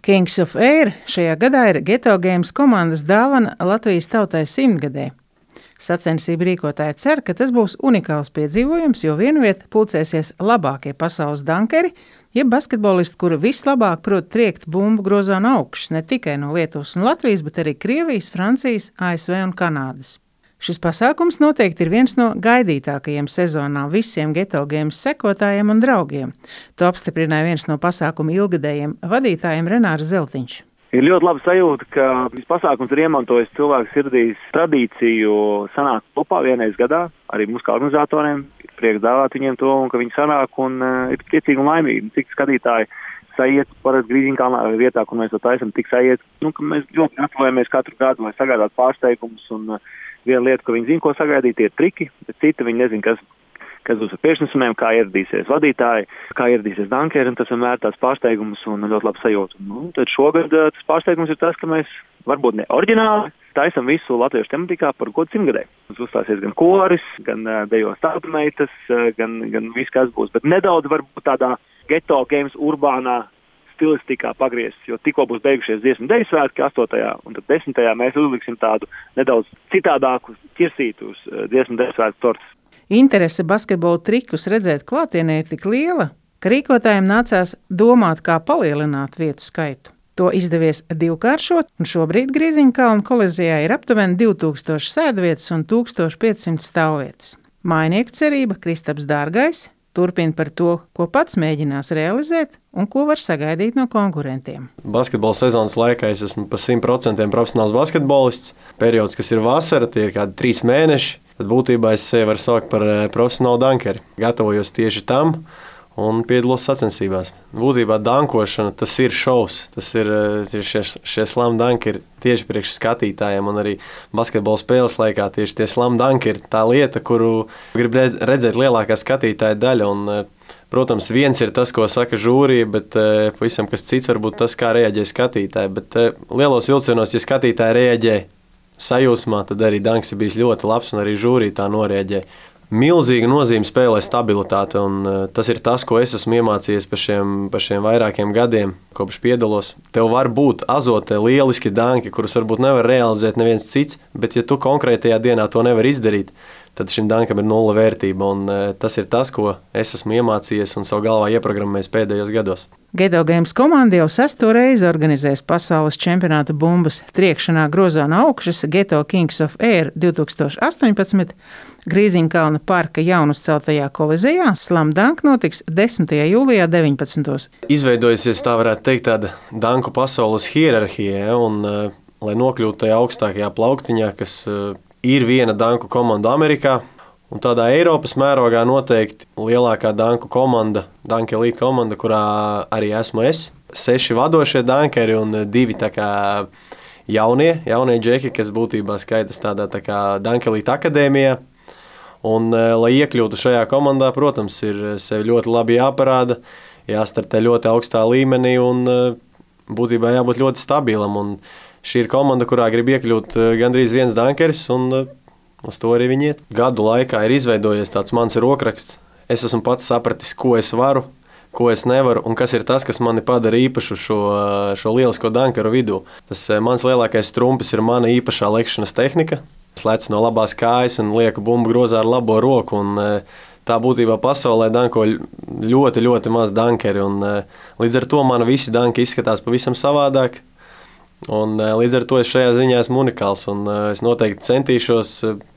Kings of Air šajā gadā ir Geto Games komandas dāvana Latvijas tautai 100-gadē. Sacensību rīkotāji cer, ka tas būs unikāls piedzīvojums, jo vienvieta pulcēsies labākie pasaules dankeri, jeb basketbolisti, kuri vislabāk prot triekt bumbu grozā no augšas, ne tikai no Lietuvas un Latvijas, bet arī Krievijas, Francijas, ASV un Kanādas. Šis pasākums noteikti ir viens no gaidītākajiem sezonā visiem Geto Games sekotājiem un draugiem. To apstiprināja viens no pasākuma ilgadējiem vadītājiem Renārs Zeltiņš. Ir ļoti laba sajūta, ka šis pasākums ir iemantojis cilvēku sirdīs tradīciju sanākt kopā vienreiz gadā, arī mums kā organizatoriem. Ir prieks dāvāt viņiem to, un ka viņi sanāk un ir priecīgi un laimīgi. Cik skatītāji saiet parasti Grīziņkalnā vietā, kur mēs to taisam, tik saiet. Ka mēs ļoti gatavojamies katru gadu, lai sagādātu pārsteigumus, un viena lieta, ko viņi zina, ko sagaidīt, ir triki, bet cita viņi nezina, kas būs ar priekšnesumiem, kā ieradīsies vadītāji, kā ieradīsies dankeri, un tas vienmēr tāds pārsteigums un ļoti labs sajūta. Tad šogad tas pārsteigums ir tas, ka mēs varbūt ne oriģināli taisam visu latviešu tematikā par godu 100-gadē. Mums uzstāsies gan koris, gan dejos tautumeitas, gan viss, kas būs, bet nedaudz varbūt tādā Geto Games urbānā stilistikā pagriezt, jo tikko būs beigušies dziesmu deju svētki 8. un tad 10. mēs uzliksim tādu nedaudz citādāku ķirsītu uz dziesmu deju svētku tortes. Interese basketbola trikus redzēt klātienē ir tik liela, ka rīkotājiem nācās domāt, kā palielināt vietu skaitu. To izdevies divkāršot, un šobrīd Grīziņkalna kolizijā ir aptuveni 2000 sēdvietas un 1500 stāvvietas. Mājnieku cerība Kristaps Dārgais turpina par to, ko pats mēģinās realizēt un ko var sagaidīt no konkurentiem. Basketbola sezonas laikā es esmu pa 100% profesionāls basketbolists. Periods, kas ir vasara, tie ir kādi 3 mēneši. Tad būtībā es sevi varu saukt par profesionālu dankeri. Gatavojos tieši tam un piedalos sacensībās. Būtībā dankošana, tas ir šovs. Tas ir šie slam dankeri tieši priekš skatītājiem, un arī basketbola spēles laikā tieši tie slam dankeri tā lieta, kuru grib redzēt lielākā skatītāja daļa. Un, protams, viens ir tas, ko saka žūrija, bet pavisam kas cits varbūt tas, kā reaģē skatītāji. Bet lielos vilcienos, ja skatītāji reaģē sajūsmā, tad arī danks ir bijis ļoti labs, un arī žūrija tā norēģē. Milzīga nozīme spēlē stabilitāte, un tas ir tas, ko es esmu iemācījies par šiem vairākiem gadiem, kopš piedalos. Tev var būt azotē lieliski danki, kurus varbūt nevar realizēt neviens cits, bet ja tu konkrētajā dienā to nevar izdarīt, tad šim dankam ir 0 vērtība, un tas ir tas, ko es esmu iemācījies un savu galvā ieprogrammējis pēdējos gados. Geto Games komanda jau 6. reizi organizēs pasaules čempionātu bumbas triekšanā grozā no augšas Geto Kings of Air 2018. Grīziņkalna parka jaunuzceltajā kolizejā Slam Dunk notiks 10. jūlijā 19. Izveidojusies, tā varētu teikt, tāda danku pasaules hierarhija, un lai nokļūtu tajā augstākajā plauktiņā, kas ir viena danku komanda Amerikā, un tādā Eiropas mērogā noteikti lielākā danku komanda, Dunk Elite komanda, kurā arī esmu es. 6 vadošie dankeri un 2 tā kā jaunie džeki, kas būtībā skaitas tādā tā kā Dunk Elite akadēmijā. Un, lai iekļūtu šajā komandā, protams, ir sevi ļoti labi jāparāda, jāstartē ļoti augstā līmenī un būtībā jābūt ļoti stabilam. Un šī ir komanda, kurā grib iekļūt gandrīz viens dankeris, un uz to arī viņi iet. Gadu laikā ir izveidojies tāds mans rokraksts. Es esmu pats sapratis, ko es varu, ko es nevaru, un kas ir tas, kas mani padara īpašu šo lielisko dankeru vidū. Tas mans lielākais trumpis ir mana īpašā lekšanas tehnika. Es lecu no labās kājas un lieku bumbu grozā ar labo roku, un tā būtībā pasaulē danko ļoti, ļoti maz dankeri, un līdz ar to man visi danki izskatās pavisam savādāk. Un līdz ar to es šajā ziņā esmu unikāls, un es noteikti centīšos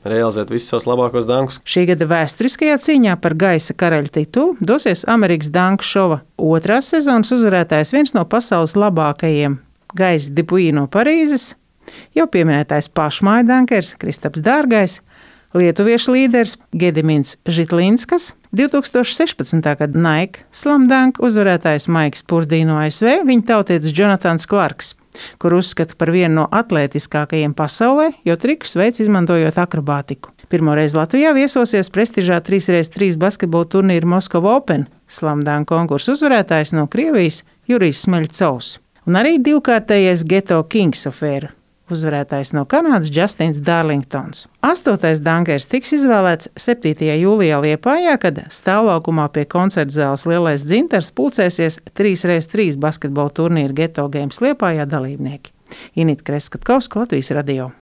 realizēt visus savus labākos dankus. Šī gada vēsturiskajā cīņā par gaisa karaļa titulu dosies Amerikas danku šova 2. sezonas uzvarētājs, viens no pasaules labākajiem Gais Dupuis no Parīzes, jau pieminētais pašmāju dankers Kristaps Dārgais, lietuviešu līderis Gedimins Žitlinskas, 2016. gada Nike Slam Dunk uzvarētājs Maiks Purdī no ASV, viņa tautietis Jonatans Clarks, kur uzskata par vienu no atlētiskākajiem pasaulē, jo trikus veids izmantojot akrobātiku. Pirmoreiz Latvijā viesosies prestižā 3x3 basketbola turnīra Moskova Open Slam Dunk konkursu uzvarētājs no Krievijas Jurijs Smeļcovs. Un arī divkārtējais Geto Kings of Air uzvarētājs no Kanādas Justins Darlingtons. 8. dankers tiks izvēlēts 7. jūlijā Liepājā, kad stāvlaukumā pie koncerta zāles Lielais dzintars pulcēsies 3x3 basketbola turnīra Geto Games Liepājā dalībnieki. Inita Kreskatkovska, Latvijas radio.